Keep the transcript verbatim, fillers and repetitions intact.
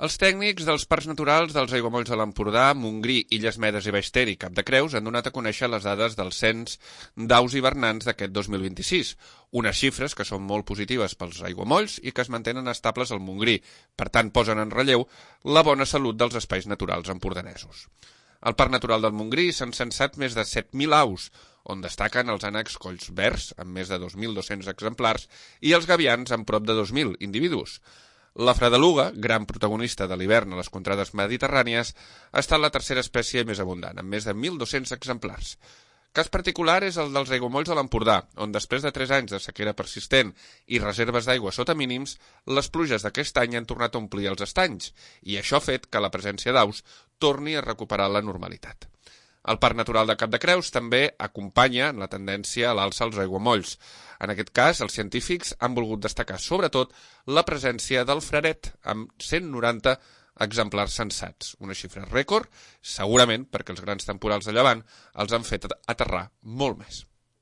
Els tècnics dels parcs naturals dels aiguamolls de l'Empordà, Montgrí, Illes Medes i Baix Ter i Cap de Creus han donat a conèixer les dades del cens d'aus hivernants d'aquest dos mil vint-i-sis, unes xifres que són molt positives pels aiguamolls i que es mantenen estables al Montgrí, per tant posen en relleu la bona salut dels espais naturals empordanesos. Al Parc Natural del Montgrí s'han censat més de set mil aus, on destaquen els ànecs colls verds, amb més de dos mil dos-cents exemplars, i els gavians, amb prop de dos mil individus. La fredeluga, gran protagonista de l'hivern a les contrades mediterrànies, ha estat la tercera espècie més abundant, amb més de mil dos-cents exemplars. Cas particular és el dels aiguamolls de l'Empordà, on després de tres anys de sequera persistent i reserves d'aigua sota mínims, les pluges d'aquest any han tornat a omplir els estanys, i això ha fet que la presència d'aus torni a recuperar la normalitat. El Parc Natural de Cap de Creus també acompanya en la tendència a l'alça als aiguamolls. En aquest cas, els científics han volgut destacar sobretot la presència del fraret, amb cent noranta exemplars censats. Una xifra rècord, segurament perquè els grans temporals de llevant els han fet aterrar molt més.